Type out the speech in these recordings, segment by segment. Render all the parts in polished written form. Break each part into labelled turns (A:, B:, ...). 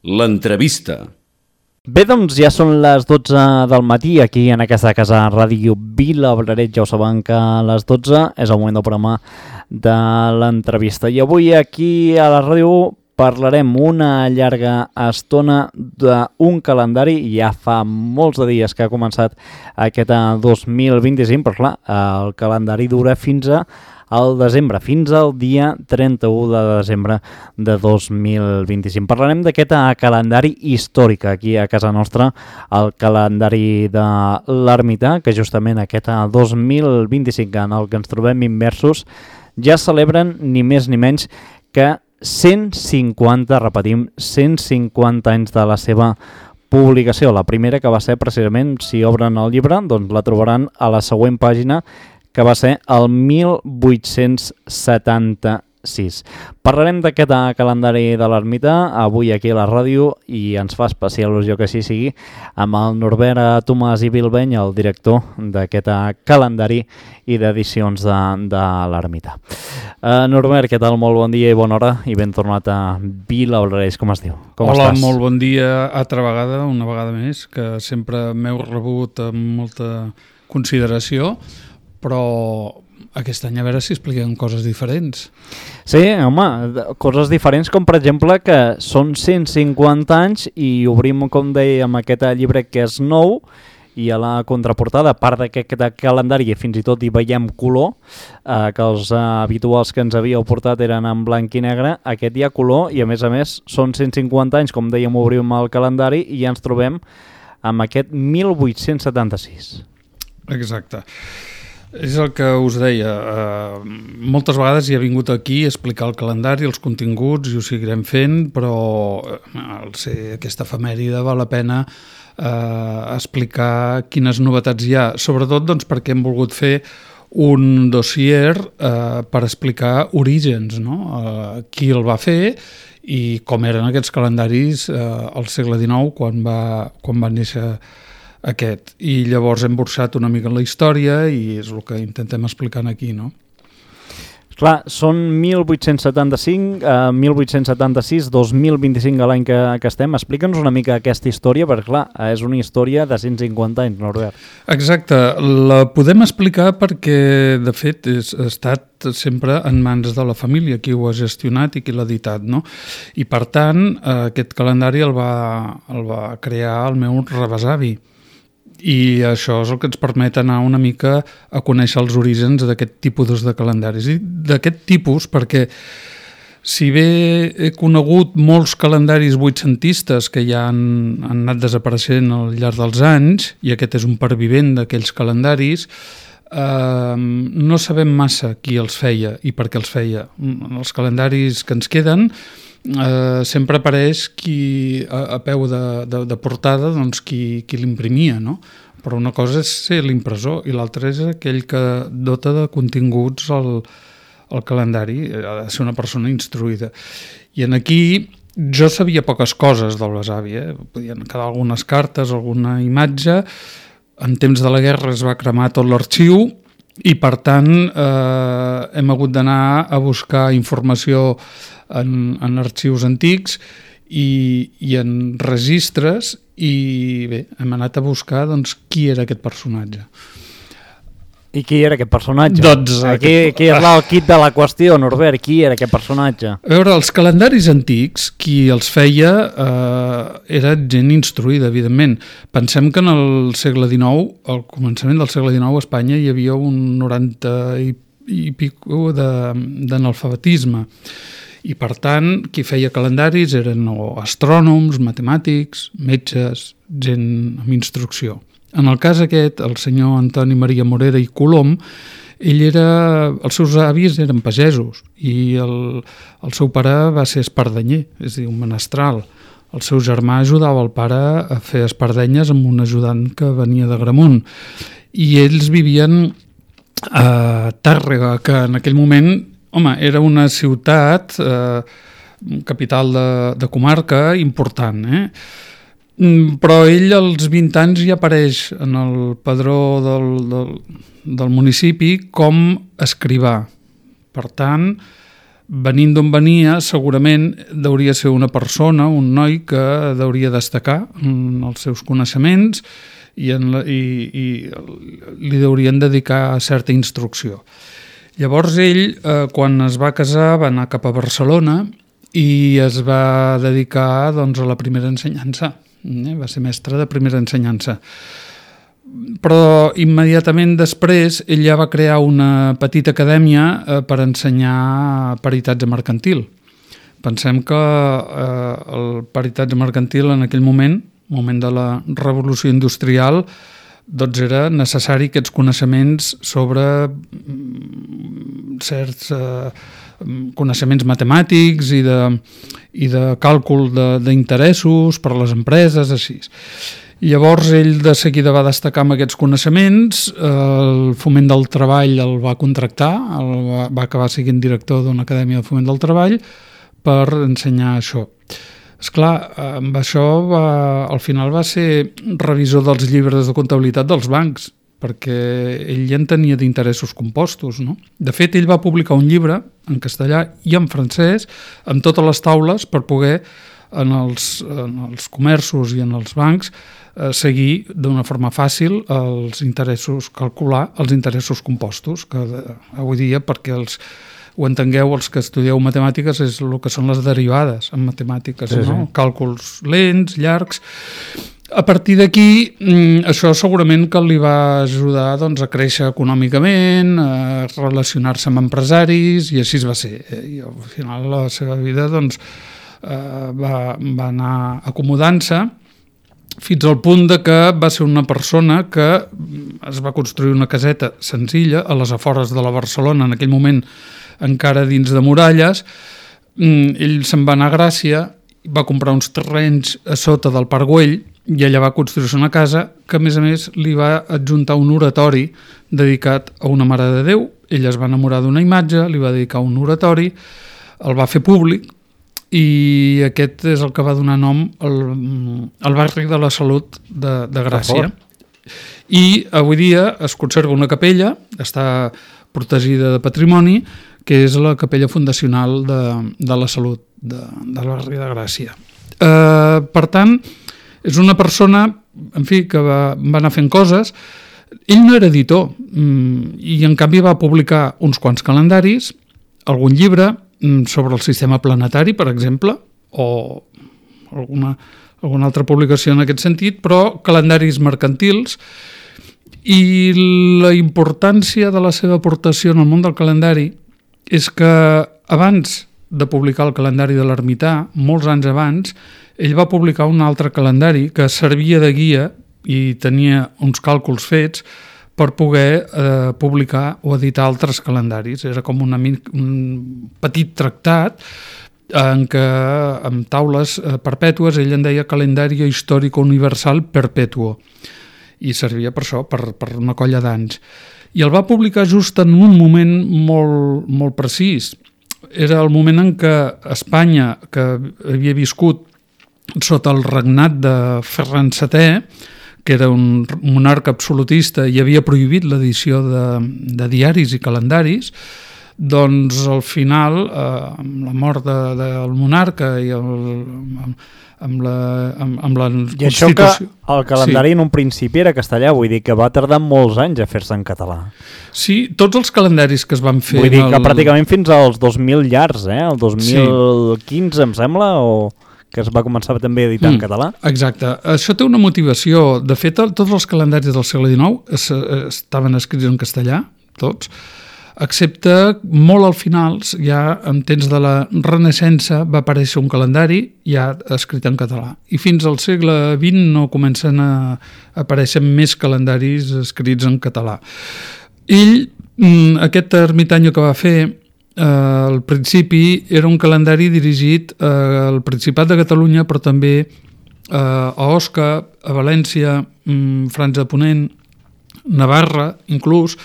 A: L'entrevista.
B: Bé, doncs ja són les 12 del matí aquí en aquesta casa Ràdio Vilabraret. Ja ho saben que a les 12 és el moment del programa de l'entrevista. I avui aquí a la ràdio parlarem una llarga estona d'un calendari. Ja fa molts de dies que ha començat aquest 2025, però clar, el calendari dura fins al desembre, fins al dia 31 de desembre de 2025. Parlarem d'aquest calendari històric aquí a casa nostra, el calendari de l'Ermità, que justament aquest 2025 en el que ens trobem immersos ja celebren ni més ni menys que 150, repetim, 150 anys de la seva publicació. La primera, que va ser precisament, si obren el llibre, doncs la trobaran a la següent pàgina, que va ser el 1876. Parlarem d'aquest calendari de l'Ermità avui aquí a la ràdio i ens fa especial il·lusió que així sigui amb el Norbert Tomàs i Bilbeny, el director d'aquest calendari i d'edicions de l'Ermità. Norbert, què tal? Molt bon dia i bona hora i ben tornat a Vilabraret. Com es diu? Com
C: Hola,
B: estàs?
C: molt bon dia altra vegada, una vegada més, que sempre m'heu rebut amb molta consideració, però aquest any a veure si expliquem coses diferents.
B: Sí, home, coses diferents com per exemple que són 150 anys i obrim, com dèiem, aquest llibre que és nou i a la contraportada, a part d'aquest calendari fins i tot hi veiem color, que els habituals que ens havíeu portat eren en blanc i negre, aquest hi ha color i a més són 150 anys, com dèiem, obrim el calendari i ja ens trobem amb aquest 1876.
C: Exacte. És el que us deia, moltes vegades he vingut aquí a explicar el calendari, els continguts, i ho seguirem fent, però al ser aquesta efemèride val la pena explicar quines novetats hi ha, sobretot doncs, perquè hem volgut fer un dossier per explicar orígens, no? Qui el va fer i com eren aquests calendaris al segle XIX quan va néixer aquest. I llavors hem burxat una mica en la història i és el que intentem explicar aquí, no?
B: Clar, són 1875, 1876, 2025 a l'any que estem. Explica'ns una mica aquesta història, perquè clar, és una història de 150 anys, Norbert.
C: Exacte, la podem explicar perquè, de fet, ha estat sempre en mans de la família, qui ho ha gestionat i qui l'ha editat, no? I per tant, aquest calendari el va crear el meu rebesavi. I això és el que ens permet anar una mica a conèixer els orígens d'aquest tipus de calendaris. I d'aquest tipus perquè si bé he conegut molts calendaris vuitcentistes que ja han anat desapareixent al llarg dels anys, i aquest és un pervivent d'aquells calendaris, no sabem massa qui els feia i per què els feia. Els calendaris que ens queden sempre apareix qui a peu de portada, doncs qui l'imprimia, no? Però una cosa és ser l'impressor i l'altra és aquell que dota de continguts el calendari, ha de ser una persona instruïda. I en aquí jo sabia poques coses del besavi, podien quedar algunes cartes, alguna imatge. En temps de la guerra es va cremar tot l'arxiu i per tant hem hagut d'anar a buscar informació en arxius antics i en registres i bé, hem anat a buscar doncs, qui era aquest personatge.
B: I qui era aquest personatge?
C: Doncs,
B: Aquí és el kit de la qüestió, Norbert, qui era aquest personatge?
C: A veure, els calendaris antics, qui els feia era gent instruïda, evidentment. Pensem que en el segle XIX, al començament del segle XIX, a Espanya hi havia un 90 i pico d'analfabetisme. I per tant, qui feia calendaris eren astrònoms, matemàtics, metges, gent amb instrucció. En el cas aquest, el senyor Antoni Maria Morera i Colom, els seus avis eren pagesos i el seu pare va ser espardenyer, és a dir, un menestral. El seu germà ajudava el pare a fer espardenyes amb un ajudant que venia d'Agramunt. I ells vivien a Tàrrega, que en aquell moment era una ciutat, capital de comarca important, però ell als 20 anys ja apareix en el padró del municipi com escrivà. Per tant, venint d'on venia, segurament deuria ser una persona, un noi que deuria destacar en els seus coneixements i li deurien dedicar certa instrucció. Llavors ell, quan es va casar, va anar cap a Barcelona i es va dedicar doncs, a la primera ensenyança. Va ser mestre de primera ensenyança. Però immediatament després ell ja va crear una petita acadèmia per ensenyar peritatge mercantil. Pensem que el peritatge mercantil en aquell moment de la revolució industrial, doncs era necessari aquests coneixements sobre certs coneixements matemàtics i de càlcul d'interessos per a les empreses, així. Llavors ell de seguida va destacar amb aquests coneixements, el Foment del Treball el va contractar, va acabar sent director d'una acadèmia de Foment del Treball per ensenyar això. Esclar, amb això al final va ser revisor dels llibres de comptabilitat dels bancs, perquè ell ja en tenia d'interessos compostos, no? De fet, ell va publicar un llibre en castellà i en francès amb totes les taules per poder en els comerços i en els bancs seguir d'una forma fàcil els interessos, calcular els interessos compostos, que avui dia, perquè ho entengueu, els que estudieu matemàtiques, és el que són les derivades en matemàtiques, sí, no? Sí. Càlculs lents, llargs. A partir d'aquí, això segurament que li va ajudar doncs, a créixer econòmicament, a relacionar-se amb empresaris, i així va ser. I al final la seva vida doncs, va anar acomodant-se fins al punt de que va ser una persona que es va construir una caseta senzilla a les afores de la Barcelona, en aquell moment encara dins de muralles. Ell se'n va anar a Gràcia, va comprar uns terrenys a sota del Parc Güell i allà va construir-se una casa que a més li va adjuntar un oratori dedicat a una Mare de Déu. Ell es va enamorar d'una imatge, li va dedicar un oratori, el va fer públic, i aquest és el que va donar nom al barri de la Salut de Gràcia. I avui dia es conserva una capella, està protegida de patrimoni, que és la capella fundacional de la Salut del barri de Gràcia. Per tant, és una persona, en fi, que va anar fent coses. Ell no era editor i en canvi va publicar uns quants calendaris, algun llibre sobre el sistema planetari, per exemple, o alguna altra publicació en aquest sentit, però calendaris mercantils, i la importància de la seva aportació en el món del calendari és que abans de publicar el calendari de l'Ermità, molts anys abans, ell va publicar un altre calendari que servia de guia i tenia uns càlculs fets per poder publicar o editar altres calendaris. Era com un petit tractat en què, amb taules perpètues, ell en deia Calendario Histórico Universal Perpetuo, i servia per això, per una colla d'anys. I el va publicar just en un moment molt, molt precís. Era el moment en què Espanya, que havia viscut sota el regnat de Ferran VII, que era un monarca absolutista i havia prohibit l'edició de diaris i calendaris, doncs al final, amb la mort del monarca i amb la Constitució...
B: I això que el calendari en un principi era castellà, vull dir que va tardar molts anys a fer-se en català.
C: Sí, tots els calendaris que es van fer...
B: Vull dir que pràcticament fins als 2000 llargs, el 2015 em sembla, o que es va començar també a editar en català.
C: Exacte. Això té una motivació. De fet, tots els calendaris del segle XIX estaven escrits en castellà, tots, excepte molt al final, ja en temps de la Renaixença, va aparèixer un calendari ja escrit en català. I fins al segle XX no comencen a aparèixer més calendaris escrits en català. Ell, aquest ermitany que va fer, al principi era un calendari dirigit al Principat de Catalunya, però també a Osca, a València, Franja de Ponent, Navarra, inclús,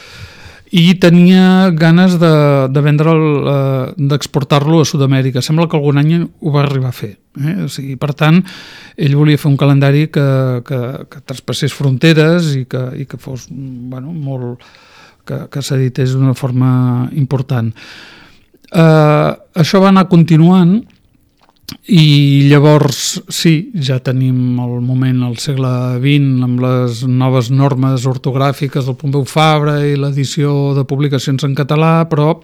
C: i tenia ganes de vendre'l, d'exportar-lo a Sud-amèrica. Sembla que algun any ho va arribar a fer. O sigui, per tant, ell volia fer un calendari que traspassés fronteres i que fos molt... que s'edités d'una forma important. Això va anar continuant i llavors sí, ja tenim el moment al segle XX amb les noves normes ortogràfiques del Pompeu Fabra i l'edició de publicacions en català, però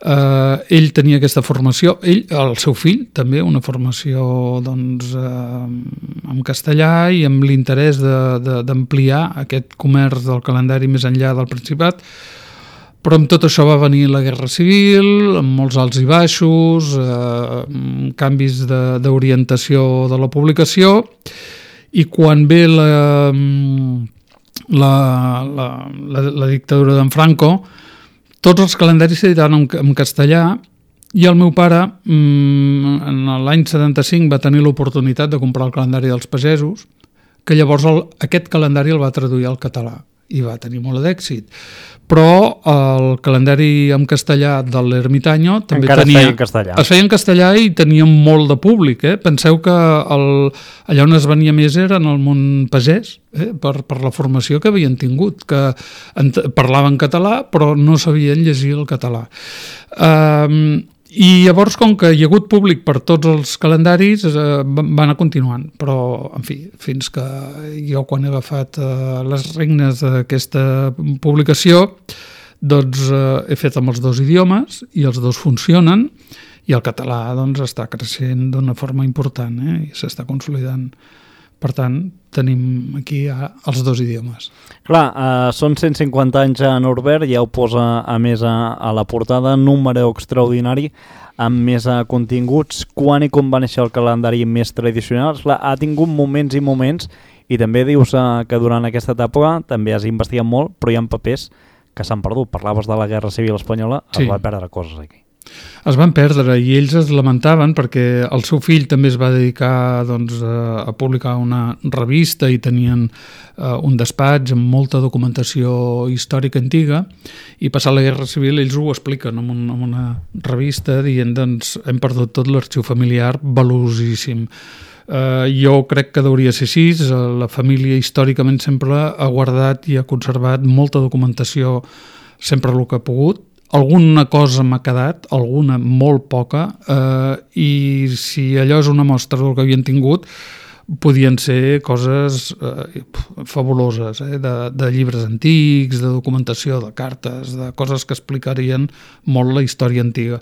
C: ell tenia aquesta formació, el seu fill també, una formació doncs, en castellà i amb l'interès d'ampliar aquest comerç del calendari més enllà del Principat, però amb tot això va venir la Guerra Civil, amb molts alts i baixos, canvis d'orientació de la publicació, i quan ve la dictadura d'en Franco, tots els calendaris s'editaven en castellà i el meu pare, en l'any 75, va tenir l'oportunitat de comprar el calendari dels pagesos, que llavors aquest calendari el va traduir al català i va tenir molt d'èxit. Però el calendari en castellà de l'Ermitaño també es feia en castellà i tenia molt de públic. Penseu que allà on es venia més era en el món pagès, per la formació que havien tingut, que parlaven català però no sabien llegir el català. I llavors, com que hi ha hagut públic per tots els calendaris, va anar continuant. Però, en fi, fins que jo quan he agafat les regnes d'aquesta publicació, doncs he fet amb els dos idiomes i els dos funcionen i el català doncs, està creixent d'una forma important i s'està consolidant. Per tant, tenim aquí els dos idiomes.
B: Clar, són 150 anys a Norbert, ja ho posa a més a la portada, número extraordinari amb més continguts. Quan i com va néixer el calendari més tradicional? Clar, ha tingut moments i moments i també dius que durant aquesta etapa també has investigat molt, però hi ha papers que s'han perdut. Parlaves de la Guerra Civil Espanyola, es va perdre coses aquí.
C: Es van perdre i ells es lamentaven perquè el seu fill també es va dedicar doncs, a publicar una revista i tenien un despatx amb molta documentació històrica antiga i passat la Guerra Civil ells ho expliquen en una revista dient doncs hem perdut tot l'arxiu familiar valuosíssim. Jo crec que hauria ser així, la família històricament sempre ha guardat i ha conservat molta documentació sempre el que ha pogut. Alguna cosa m'ha quedat, alguna molt poca, i si allò és una mostra del que havien tingut, podien ser coses fabuloses, de llibres antics, de documentació, de cartes, de coses que explicarien molt la història antiga.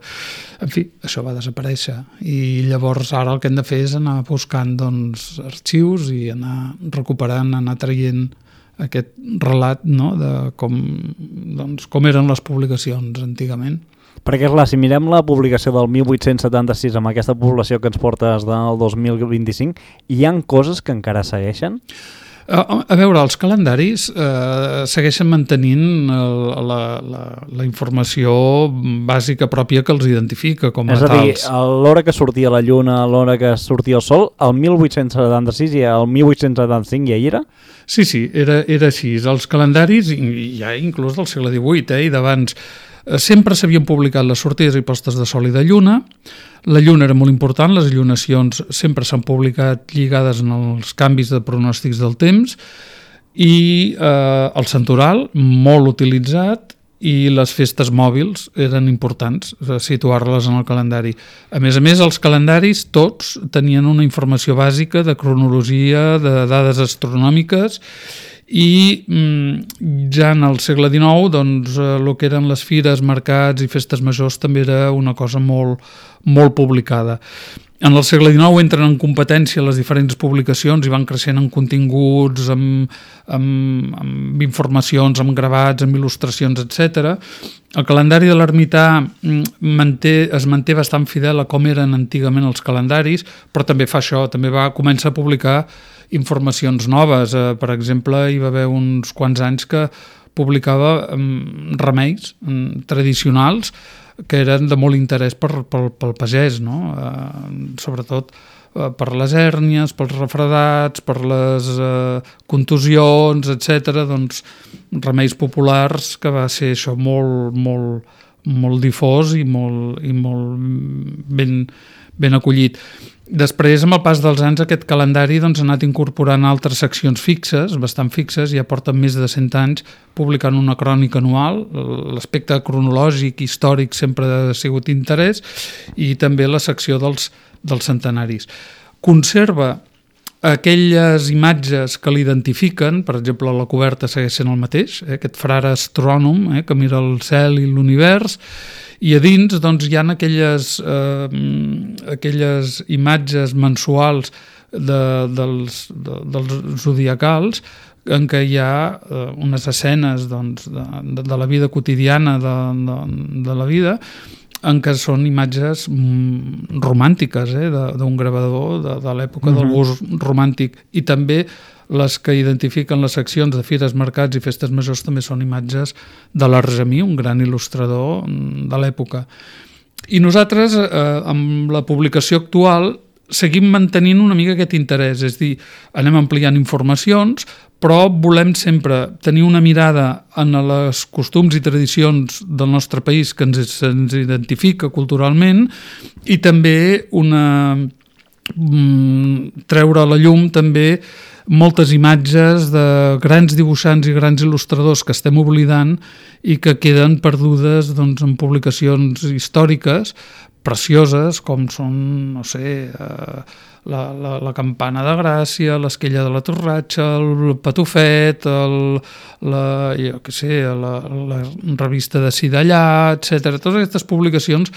C: En fi, això va desaparèixer i llavors ara el que hem de fer és anar buscant doncs, arxius i anar recuperant, anar traient aquest relat de com eren les publicacions antigament.
B: Perquè, clar, si mirem la publicació del 1876 amb aquesta població que ens portes del 2025, hi ha coses que encara segueixen?
C: A veure, els calendaris segueixen mantenint la informació bàsica pròpia que els identifica com a tals.
B: És a dir, l'hora que sortia la lluna, l'hora que sortia el sol, el 1876 i el 1875 ja hi era?
C: Sí, era així. Els calendaris, ja inclús del segle XVIII i d'abans, sempre s'havien publicat les sortides i postes de sol i de lluna. La lluna era molt important, les allunacions sempre s'han publicat lligades en els canvis de pronòstics del temps i el santoral, molt utilitzat, i les festes mòbils eren importants, situar-les en el calendari. A més, els calendaris tots tenien una informació bàsica de cronologia, de dades astronòmiques, i ja en el segle XIX doncs, el que eren les fires, mercats i festes majors també era una cosa molt, molt publicada. En el segle XIX entren en competència les diferents publicacions i van creixent en continguts, amb informacions, amb gravats, amb il·lustracions, etc. El calendari de l'ermità es manté bastant fidel a com eren antigament els calendaris, però també fa això, també comença a publicar informacions noves. Per exemple, hi va haver uns quants anys que publicava remeis tradicionals que eren de molt interès pel pagès, no? Sobretot per les hèrnies, pels refredats, per les contusions, etc. Doncs remeis populars que va ser això molt, molt, molt difós i molt ben acollit. Després, amb el pas dels anys, aquest calendari doncs, ha anat incorporant altres seccions fixes, bastant fixes, ja porten més de 100 anys publicant una crònica anual. L'aspecte cronològic, històric, sempre ha sigut interès, i també la secció dels centenaris. Conserva aquelles imatges que l'identifiquen, per exemple, la coberta segueix sent el mateix, aquest frare astrònom que mira el cel i l'univers, i a dins doncs, hi ha aquelles imatges mensuals dels zodiacals en què hi ha unes escenes doncs, de la vida quotidiana de la vida, en què són imatges romàntiques d'un gravador de l'època del gust romàntic, i també les que identifiquen les seccions de fires, mercats i festes majors també són imatges de l'Argemí, un gran il·lustrador de l'època. I nosaltres, amb la publicació actual, seguim mantenint una mica aquest interès, és a dir, anem ampliant informacions, però volem sempre tenir una mirada en els costums i tradicions del nostre país que ens identifica culturalment, i també treure a la llum també moltes imatges de grans dibuixants i grans il·lustradors que estem oblidant i que queden perdudes doncs, en publicacions històriques precioses, com són, no sé, la Campana de Gràcia, l'Esquella de la Torratxa, el Patufet, la revista de Cidallà, etc. Totes aquestes publicacions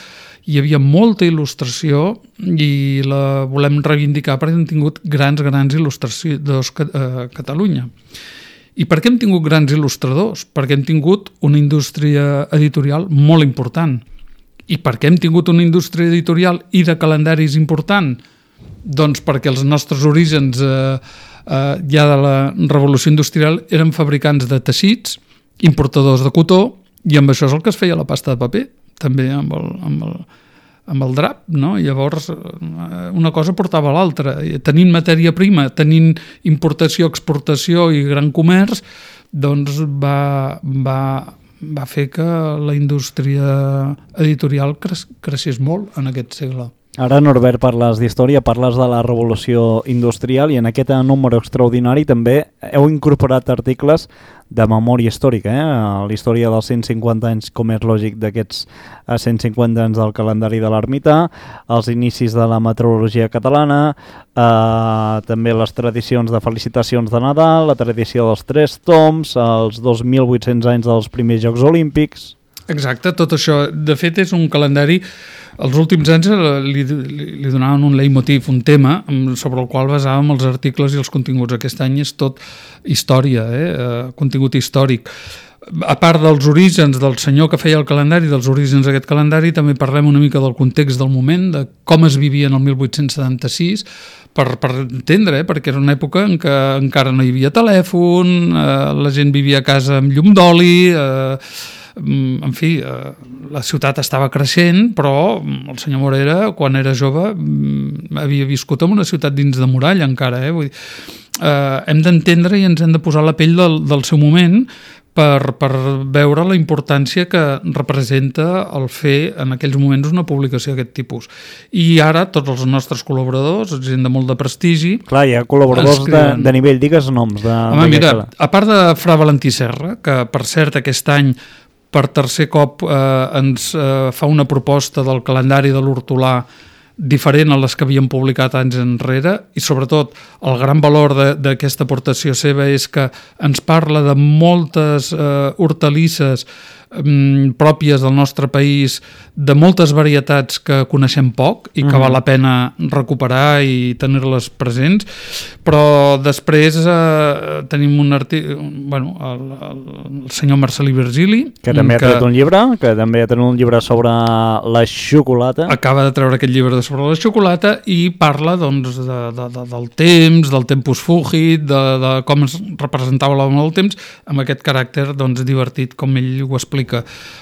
C: hi havia molta il·lustració i la volem reivindicar perquè hem tingut grans il·lustradors a Catalunya. I per què hem tingut grans il·lustradors? Perquè hem tingut una indústria editorial molt important. I per què hem tingut una indústria editorial i de calendaris important? Doncs perquè els nostres orígens ja de la revolució industrial eren fabricants de teixits, importadors de cotó, i amb això és el que es feia la pasta de paper, també amb el drap, no? Llavors una cosa portava a l'altra. Tenint matèria prima, tenint importació, exportació i gran comerç, doncs va fer que la indústria editorial creixés molt en aquest segle.
B: Ara, Norbert, parles d'història, parles de la revolució industrial, i en aquest número extraordinari també heu incorporat articles de memòria històrica, la història dels 150 anys, com és lògic, d'aquests 150 anys del calendari de l'ermità, els inicis de la meteorologia catalana, també les tradicions de felicitacions de Nadal, la tradició dels 3 toms, els 2.800 anys dels primers Jocs Olímpics...
C: Exacte, tot això. De fet, és un calendari... Els últims anys li donaven un leitmotiv, un tema sobre el qual basàvem els articles i els continguts. Aquest any és tot història, contingut històric. A part dels orígens del senyor que feia el calendari, dels orígens d'aquest calendari, també parlem una mica del context del moment, de com es vivia en el 1876, per entendre, perquè era una època en què encara no hi havia telèfon, la gent vivia a casa amb llum d'oli, en fi, la ciutat estava creixent, però el senyor Morera, quan era jove, havia viscut en una ciutat dins de muralla encara. Vull dir, hem d'entendre i ens hem de posar la pell del seu moment per veure la importància que representa el fer en aquells moments una publicació d'aquest tipus. I ara tots els nostres col·laboradors, gent de molt de prestigi...
B: Clar, hi ha col·laboradors de nivell, digues noms.
C: Home, mira, a part de Fra Valentí Serra, que per cert aquest any per tercer cop ens fa una proposta del calendari de l'hortolà diferent a les que havíem publicat anys enrere, i sobretot el gran valor d'aquesta aportació seva és que ens parla de moltes hortalisses pròpies del nostre país, de moltes varietats que coneixem poc i que val la pena recuperar i tenir-les presents, però després tenim un article, el senyor Marcelí Virgili,
B: que també ha tret un llibre, sobre la xocolata.
C: Acaba de treure aquest llibre sobre la xocolata i parla doncs, del temps, del tempus fugit, de com es representava l'home del temps, amb aquest caràcter doncs, divertit, com ell ho explica.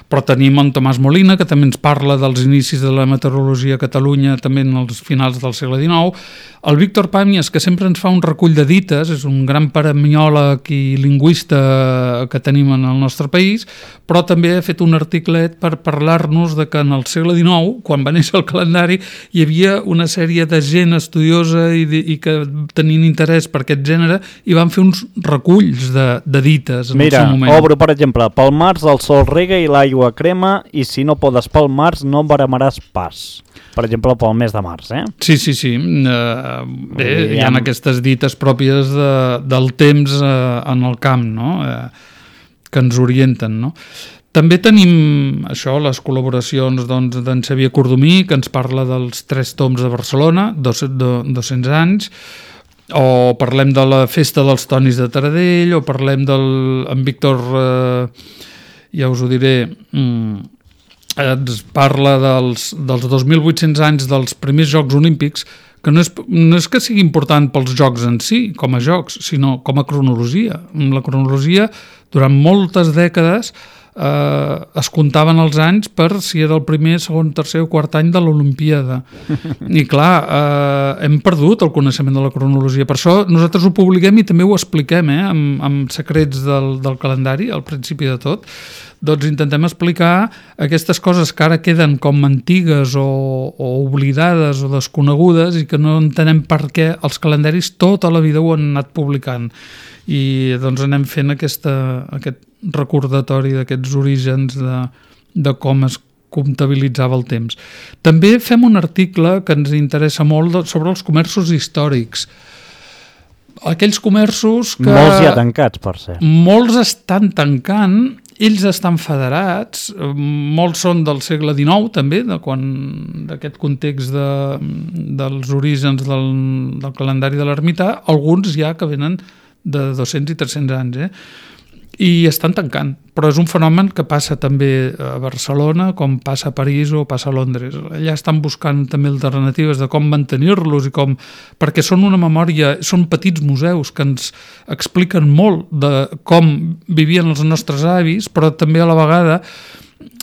C: Però tenim en Tomàs Molina, que també ens parla dels inicis de la meteorologia a Catalunya, també en els finals del segle XIX. El Víctor Pàmies, que sempre ens fa un recull de dites, és un gran paremiòleg i lingüista que tenim en el nostre país, però també ha fet un articlet per parlar-nos de que en el segle XIX, quan va néixer el calendari, hi havia una sèrie de gent estudiosa i que tenien interès per aquest gènere i van fer uns reculls de dites en el seu moment.
B: Mira, obro, per exemple, pel març el sol rega i l'aigua crema i si no podes pel març no baramaràs pas. Per exemple, pel mes de març,
C: Sí. Bé, hi ha aquestes dites pròpies del temps en el camp, no? Que ens orienten, no? També tenim això, les col·laboracions d'en Xavier Cordomí, que ens parla dels 3 tombs de Barcelona, 200 anys, o parlem de la festa dels Tonis de Taradell, o parlem en Víctor, ja us ho diré, ens parla dels 2.800 anys dels primers Jocs Olímpics, que no és que sigui important pels jocs en si, com a jocs, sinó com a cronologia. La cronologia, durant moltes dècades, es comptaven els anys per si era el primer, segon, tercer o quart any de l'Olimpíada. I clar, hem perdut el coneixement de la cronologia. Per això nosaltres ho publiquem i també ho expliquem amb secrets del calendari, al principi de tot. Doncs intentem explicar aquestes coses que ara queden com antigues o oblidades o desconegudes i que no entenem per què els calendaris tota la vida ho han anat publicant. I doncs anem fent aquest recordatori d'aquests orígens de com es comptabilitzava el temps. També fem un article que ens interessa molt sobre els comerços històrics. Aquells comerços que...
B: Molts ja tancats, per cert.
C: Molts estan tancant, ells estan federats, molts són del segle XIX també, d'aquest context dels orígens del calendari de l'ermità, alguns ja que venen de 200 i 300 anys, i estan tancant, però és un fenomen que passa també a Barcelona, com passa a París o passa a Londres. Allà estan buscant també alternatives de com mantenir-los perquè són una memòria, són petits museus que ens expliquen molt de com vivien els nostres avis, però també a la vegada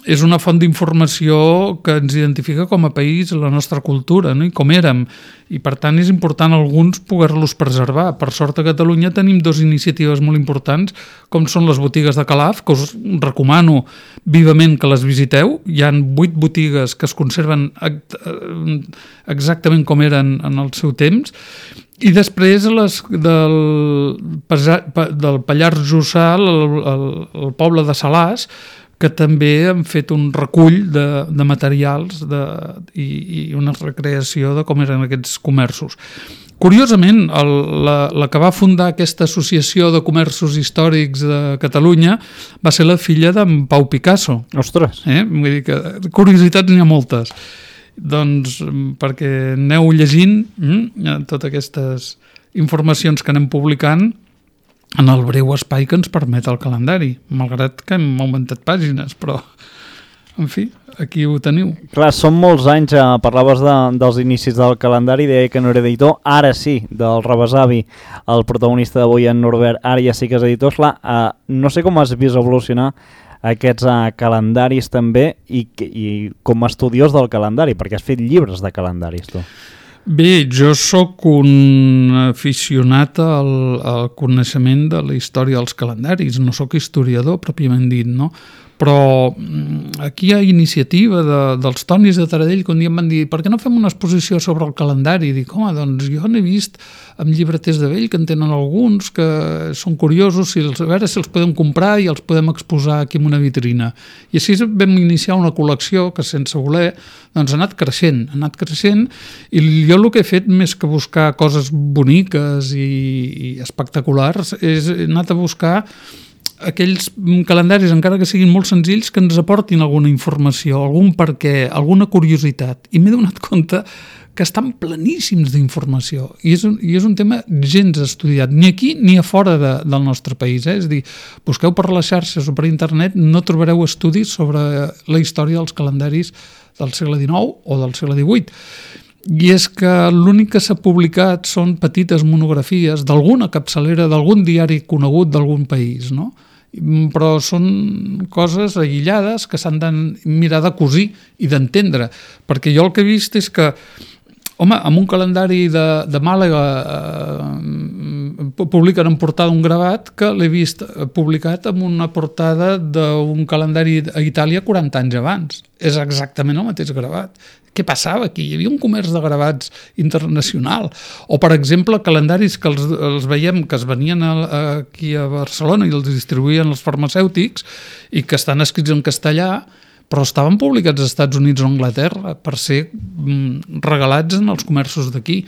C: és una font d'informació que ens identifica com a país, la nostra cultura, no? I com érem. I per tant és important alguns poder-los preservar. Per sort a Catalunya tenim 2 iniciatives molt importants, com són les botigues de Calaf, que us recomano vivament que les visiteu. Hi ha 8 botigues que es conserven exactament com eren en el seu temps. I després del Pallars Jussà, el poble de Salàs, que també han fet un recull de materials i una recreació de com eren aquests comerços. Curiosament, la que va fundar aquesta associació de comerços històrics de Catalunya va ser la filla d'en Pau Picasso.
B: Ostres!
C: Vull dir que curiositats n'hi ha moltes. Doncs perquè aneu llegint totes aquestes informacions que anem publicant en el breu espai que ens permet el calendari, malgrat que hem augmentat pàgines, però, en fi, aquí ho teniu.
B: Clar, són molts anys, parlaves dels inicis del calendari, deia que no era editor, ara sí, del Rebesavi, el protagonista d'avui, en Norbert, ara ja sí que és editor. Clar, no sé com has vist evolucionar aquests calendaris també i com a estudiós del calendari, perquè has fet llibres de calendaris, tu.
C: Bé, jo sóc un aficionat al coneixement de la història dels calendaris, no sóc historiador pròpiament dit, no? Però aquí hi ha iniciativa dels Tonis de Taradell que un dia em van dir per què no fem una exposició sobre el calendari? I dic, home, doncs jo n'he vist amb llibreters de vell que en tenen alguns que són curiosos, a veure si els podem comprar i els podem exposar aquí en una vitrina. I així vam iniciar una col·lecció que sense voler doncs ha anat creixent i jo el que he fet més que buscar coses boniques i espectaculars és anat a buscar aquells calendaris, encara que siguin molt senzills, que ens aportin alguna informació, algun perquè, alguna curiositat. I m'he donat compte que estan pleníssims d'informació. I és un tema gens estudiat, ni aquí ni a fora del nostre país. És a dir, busqueu per les xarxes o per internet, no trobareu estudis sobre la història dels calendaris del segle XIX o del segle XVIII. I és que l'únic que s'ha publicat són petites monografies d'alguna capçalera, d'algun diari conegut d'algun país, no? Però són coses aïllades que s'han de mirar de cosir i d'entendre, perquè jo el que he vist és que, home, amb un calendari de Màlaga publiquen en portada un gravat que l'he vist publicat amb una portada d'un calendari a Itàlia 40 anys abans. És exactament el mateix gravat. Què passava aquí? Hi havia un comerç de gravats internacional. O, per exemple, calendaris que els veiem que es venien aquí a Barcelona i els distribuïen els farmacèutics i que estan escrits en castellà, però estaven publicats als Estats Units o Anglaterra per ser regalats en els comerços d'aquí.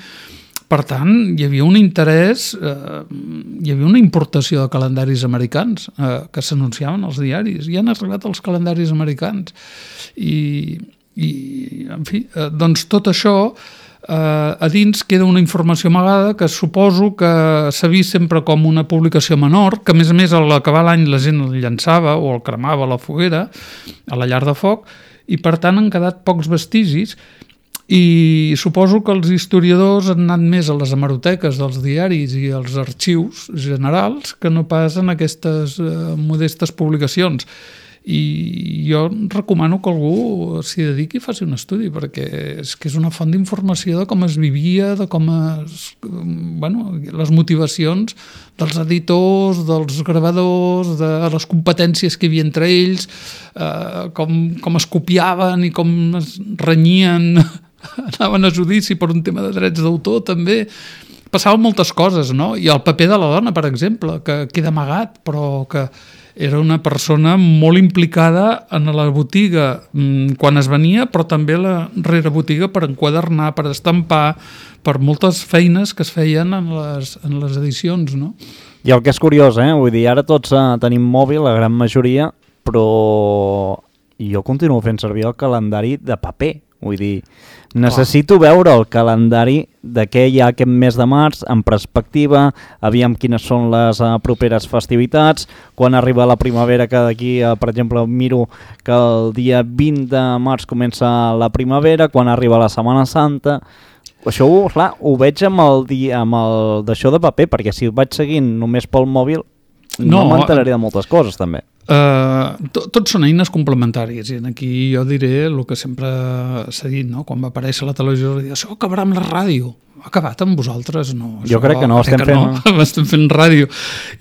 C: Per tant, hi havia un interès, hi havia una importació de calendaris americans que s'anunciaven als diaris. I han arribat els calendaris americans. I en fi, doncs tot això a dins queda una informació amagada que suposo que s'ha vist sempre com una publicació menor, que a més a l'acabar l'any la gent el llançava o el cremava a la foguera, a la llar de foc, i per tant han quedat pocs vestigis. I suposo que els historiadors han anat més a les hemeroteques dels diaris i als arxius generals que no pas en aquestes modestes publicacions. I jo recomano que algú s'hi dediqui i faci un estudi, perquè és que és una font d'informació de com es vivia, de com les motivacions dels editors, dels gravadors, de les competències que hi havia entre ells, com es copiaven i com es renyien, anaven a judici per un tema de drets d'autor també. Passaven moltes coses, no? I el paper de la dona, per exemple, que queda amagat, però que era una persona molt implicada en la botiga quan es venia, però també la rerebotiga per enquadernar, per estampar, per moltes feines que es feien en les edicions, no?
B: I el que és curiós, vull dir, ara tots tenim mòbil, la gran majoria, però jo continuo fent servir el calendari de paper. Vull dir, necessito veure el calendari de què hi ha aquest mes de març en perspectiva, aviam quines són les properes festivitats, quan arriba la primavera, que d'aquí, per exemple, miro que el dia 20 de març comença la primavera, quan arriba la Setmana Santa. Això, clar, ho veig amb el d'això de paper, perquè si ho vaig seguint només pel mòbil no m'enteraré de moltes coses, també.
C: Tots són eines complementàries i aquí jo diré el que sempre s'ha dit, no? Quan va aparèixer la televisió, això acabarà amb la ràdio. Ha acabat amb vosaltres? No.
B: Jo crec que no,
C: estem fent ràdio.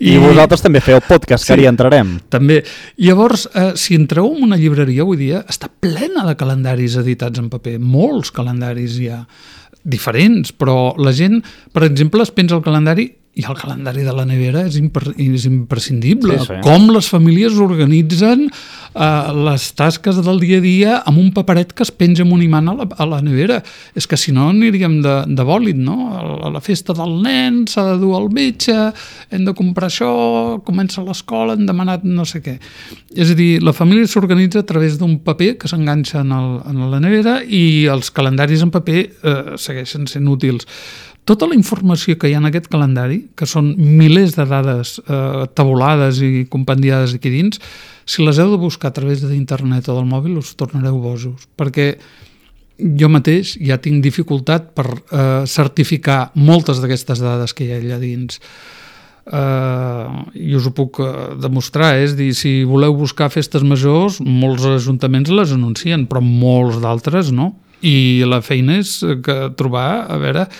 B: I vosaltres també feu podcast, que ara hi entrarem.
C: També. Llavors, si entreu en una llibreria avui dia, està plena de calendaris editats en paper. Molts calendaris hi ha, diferents, però la gent, per exemple, es penja el calendari i el calendari de la nevera és imprescindible. Sí. Com les famílies organitzen les tasques del dia a dia amb un paperet que es penja amb un imant a la nevera. És que si no aniríem de bòlit, no? A la festa del nen s'ha de dur al metge, hem de comprar això, comença l'escola, hem demanat no sé què. És a dir, la família s'organitza a través d'un paper que s'enganxa en la nevera i els calendaris en paper segueixen sent útils. Tota la informació que hi ha en aquest calendari, que són milers de dades tabulades i compendiades aquí dins, si les heu de buscar a través d'internet o del mòbil us tornareu bojos, perquè jo mateix ja tinc dificultat per certificar moltes d'aquestes dades que hi ha allà dins. I us ho puc demostrar, és dir, si voleu buscar festes majors, molts ajuntaments les anuncien, però molts d'altres no. I la feina és trobar, a veure,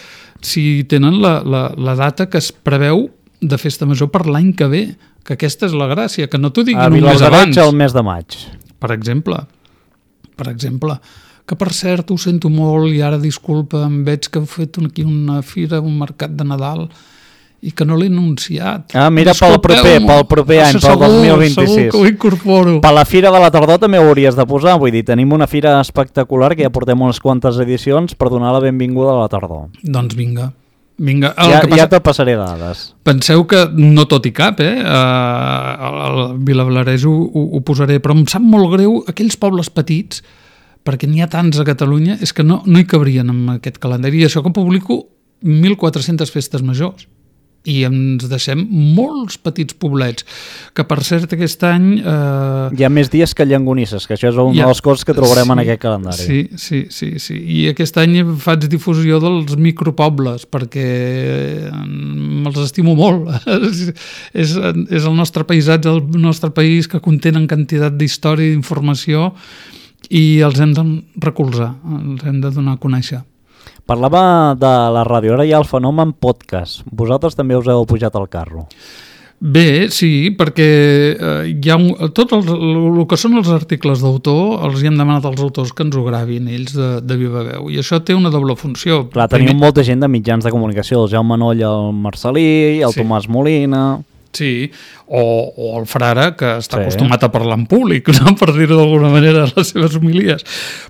C: si tenen la data que es preveu de festa major per l'any que ve, que aquesta és la gràcia, que no t'ho diguin un mes abans.
B: El mes de maig.
C: Per exemple, que per cert ho sento molt i ara disculpa, em veig que heu fet aquí una fira, un mercat de Nadal i que no l'he anunciat.
B: Mira, pel proper any, pel 2026.
C: Segur que ho incorporo.
B: Per la Fira de la Tardor també ho hauries de posar, vull dir, tenim una fira espectacular que ja portem unes quantes edicions per donar la benvinguda a la tardor.
C: Doncs vinga.
B: Ja te passaré dades.
C: Penseu que no tot hi cap, al Vilablarès ho posaré, però em sap molt greu aquells pobles petits, perquè n'hi ha tants a Catalunya, és que no hi cabrien en aquest calendari. I això que publico 1.400 festes majors. I ens deixem molts petits poblets, que per cert aquest any...
B: Hi ha més dies que llangonisses, que això és una de les coses que trobarem en aquest calendari.
C: Sí. I aquest any faig difusió dels micropobles, perquè me'ls estimo molt. És el nostre paisatge, el nostre país, que contenen quantitat d'història i d'informació, i els hem de recolzar, els hem de donar a conèixer.
B: Parlava de la ràdio, ara hi ha el fenomen podcast. Vosaltres també us heu pujat al carro.
C: Bé, sí, perquè hi ha el que són els articles d'autor els hi hem demanat als autors que ens ho gravin ells de viva veu, i això té una doble funció.
B: Clar, teniu molta gent de mitjans de comunicació, el Jaume Noll, el Marcelí, el Tomàs Molina...
C: Sí, o el frare, que està acostumat a parlar en públic, no? Per dir-ho d'alguna manera, les seves homilies.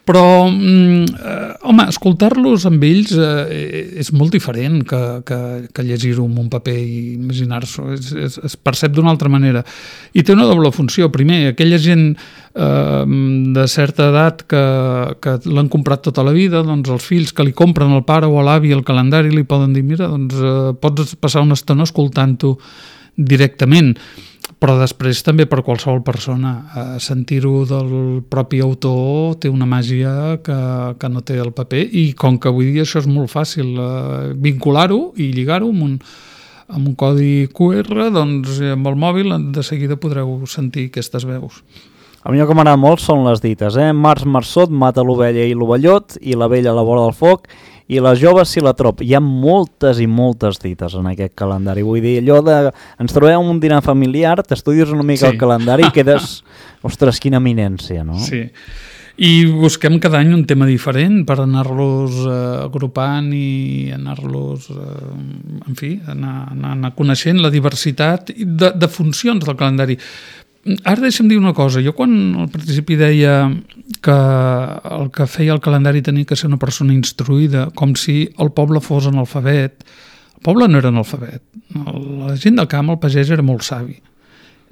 C: Però, home, escoltar-los amb ells és molt diferent que llegir-ho en un paper i imaginar-s'ho. Es percep d'una altra manera. I té una doble funció. Primer, aquella gent de certa edat que l'han comprat tota la vida, doncs els fills que li compren al pare o a l'avi el calendari li poden dir, mira, doncs pots passar una estona escoltant-ho directament, però després també per qualsevol persona sentir-ho del propi autor té una màgia que no té el paper, i com que avui dia això és molt fàcil vincular-ho i lligar-ho amb un codi QR, doncs amb el mòbil de seguida podreu sentir aquestes veus.
B: A mi el que m'agrada molt són les dites, Març marçot mata l'ovella i l'ovellot, i la vella a la vora del foc, i les joves si la trop. Hi ha moltes i moltes dites en aquest calendari. Vull dir, allò de... Ens trobem en un dinar familiar, t'estudies una mica el calendari i quedes... Ostres, quina eminència, no?
C: Sí. I busquem cada any un tema diferent per anar-los agrupant i anar-los... en fi, anar coneixent la diversitat de funcions del calendari. Ara deixa'm dir una cosa. Jo quan al principi deia que el que feia el calendari tenia que ser una persona instruïda, com si el poble fos analfabet. El poble no era analfabet. La gent del camp, el pagès, era molt savi.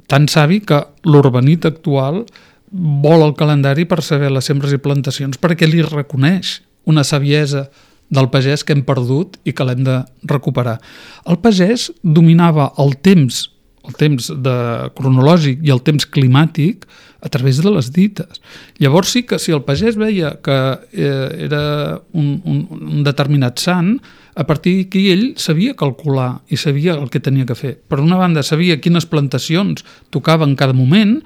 C: Tan savi que l'urbanit actual vol el calendari per saber les sembres i plantacions, perquè li reconeix una saviesa del pagès que hem perdut i que l'hem de recuperar. El pagès dominava el temps cronològic i el temps climàtic a través de les dites. Llavors sí que si el pagès veia que era un determinat sant, a partir d'aquí ell sabia calcular i sabia el que tenia que fer. Per una banda, sabia quines plantacions tocava en cada moment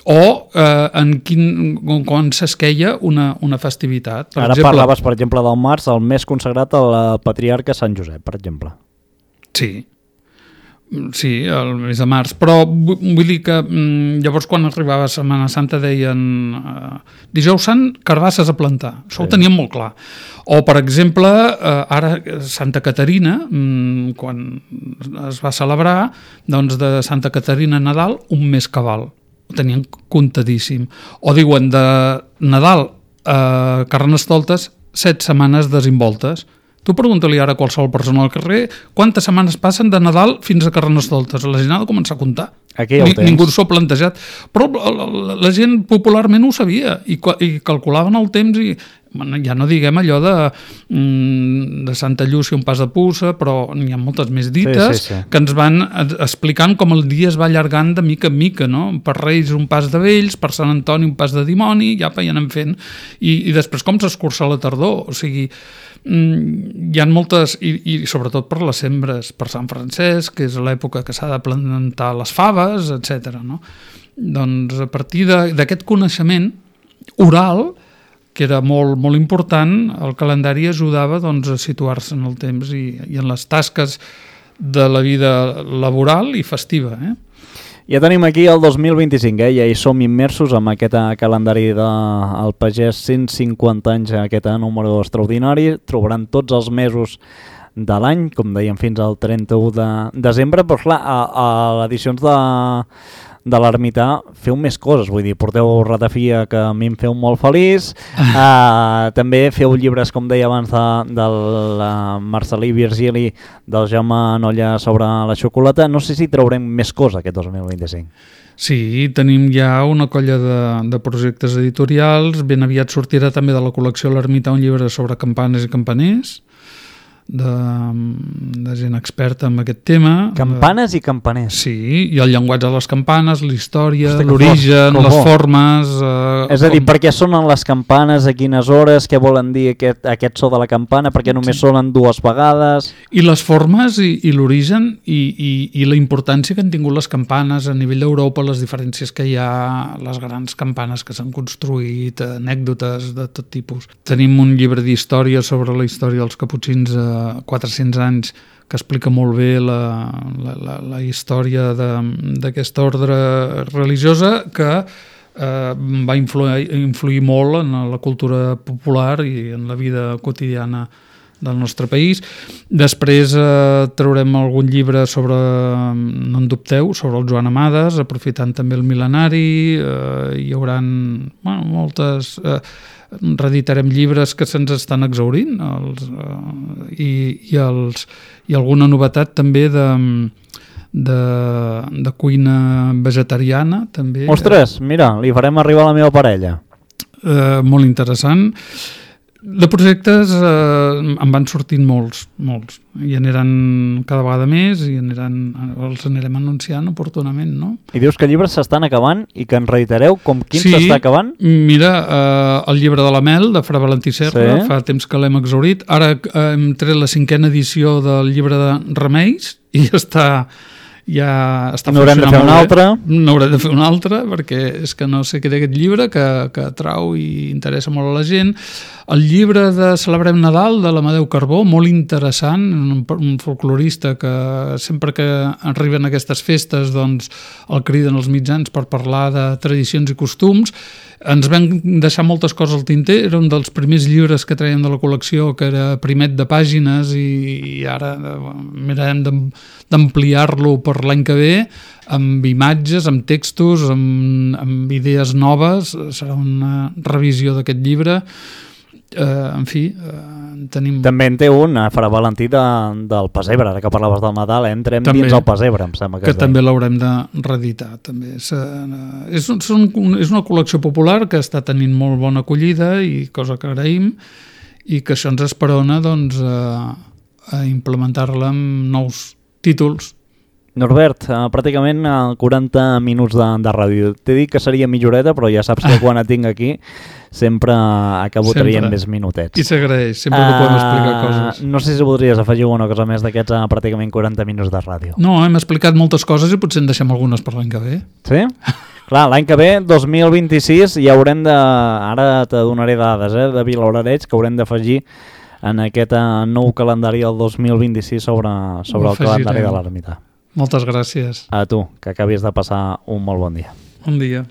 C: o quan s'esqueia una festivitat.
B: Ara parlaves, per exemple, del març, el més consagrat al patriarca Sant Josep, per exemple.
C: Sí, el mes de març, però vull dir que llavors quan arribava Setmana Santa deien dijous sant, carbasses a plantar. Això ho teníem molt clar. O, per exemple, ara Santa Caterina, quan es va celebrar, doncs de Santa Caterina a Nadal, un mes cabal. Ho tenien comptadíssim. O diuen de Nadal a Carnestoltes 7 setmanes desimboltes. Tu pregunta-li ara a qualsevol persona al carrer quantes setmanes passen de Nadal fins a Carnestoltes. La gent ha de començar a comptar.
B: Aquí ja ho tens.
C: Ningú s'ho ha plantejat. Però la gent popularment ho sabia i calculaven el temps i ja no diguem allò de Santa Llúcia un pas de puça, però n'hi ha moltes més dites que ens van explicant com el dia es va allargant de mica en mica, no? Per Reis un pas de vells, per Sant Antoni un pas de dimoni, ja anem fent. I després com s'escurça la tardor, o sigui... hi ha moltes, i sobretot per les sembres, per Sant Francesc, que és l'època que s'ha de plantar les faves, etc. No? Doncs a partir d'aquest coneixement oral, que era molt, molt important, el calendari ajudava doncs, a situar-se en el temps i en les tasques de la vida laboral i festiva.
B: Ja tenim aquí el 2025, ja hi som immersos amb aquest calendari del pagès, 150 anys, aquest número extraordinari. Trobaran tots els mesos de l'any, com dèiem, fins al 31 de desembre, però clar, a les edicions de l'Ermità feu més coses, vull dir, porteu Ratafia, que a mi em feu molt feliç, també feu llibres, com deia abans, del Marcelí Virgili, del Jaume Nolla sobre la xocolata. No sé si traurem més coses aquest 2025.
C: Sí, tenim ja una colla de projectes editorials. Ben aviat sortirà també de la col·lecció L'Ermità un llibre sobre campanes i campaners, de gent experta en aquest tema.
B: Campanes i campaners.
C: Sí, i el llenguatge de les campanes, la història,
B: Hosti,
C: l'origen, les formes...
B: És a dir, per què sonen les campanes, a quines hores, què volen dir aquest so de la campana, per què només sonen 2 vegades...
C: I les formes i l'origen i la importància que han tingut les campanes a nivell d'Europa, les diferències que hi ha, les grans campanes que s'han construït, anècdotes de tot tipus. Tenim un llibre d'història sobre la història dels caputxins 400 anys que explica molt bé la història d'aquesta ordre religiosa que va influir molt en la cultura popular i en la vida quotidiana del nostre país. Després traurem algun llibre sobre, no en dubteu, sobre el Joan Amades, aprofitant també el mil·lenari, hi haurà moltes... reeditarem llibres que se'ns estan exhaurint i alguna novetat també de cuina vegetariana també.
B: Ostres, mira, li farem arribar a la meva parella.
C: Molt interessant. De projectes en van sortint molts i aniran cada vegada més i els anirem anunciant oportunament, no?
B: I dius que llibres s'estan acabant i que en reitereu com quin s'està acabant?
C: Mira, el llibre de la Mel de Fra Valentí Serra, fa temps que l'hem exhaurit, ara hem tret la 5a edició del llibre de Remeis i està
B: n'haurem de fer una altra.
C: N'haurem de fer una altra perquè és que no sé què té aquest llibre que atrau i interessa molt a la gent. El llibre de Celebrem Nadal de l'Amadeu Carbó, molt interessant, un folclorista que sempre que arriben aquestes festes doncs el criden als mitjans per parlar de tradicions i costums. Ens vam deixar moltes coses al tinter, era un dels primers llibres que traiem de la col·lecció, que era primet de pàgines i ara mirarem d'ampliar-lo per l'any que ve amb imatges, amb textos, amb idees noves. Serà una revisió d'aquest llibre. En fi, tenim...
B: També en té un, a Fra Valentí del Pessebre, ara que parlaves del Nadal, entrem també, dins el Pessebre, em sembla
C: que també l'haurem de reeditar. També. És una col·lecció popular que està tenint molt bona acollida i cosa que agraïm i que això ens esperona doncs, a implementar-la amb nous títols.
B: Norbert, pràcticament 40 minuts de ràdio. T'he dit que seria mitjoreta, però ja saps que quan et tinc aquí sempre acabo traient més minutets.
C: I s'agraeix, sempre que podem explicar coses.
B: No sé si voldries afegir una cosa més d'aquests pràcticament 40 minuts de ràdio.
C: No, hem explicat moltes coses i potser en deixem algunes per l'any que ve.
B: Sí? Clar, l'any que ve, 2026, ja haurem de... Ara te donaré dades de Vilablareix que haurem d'afegir en aquest nou calendari del 2026 sobre el calendari de l'ermita.
C: Moltes gràcies.
B: A tu, que acabis de passar un molt bon dia.
C: Bon dia.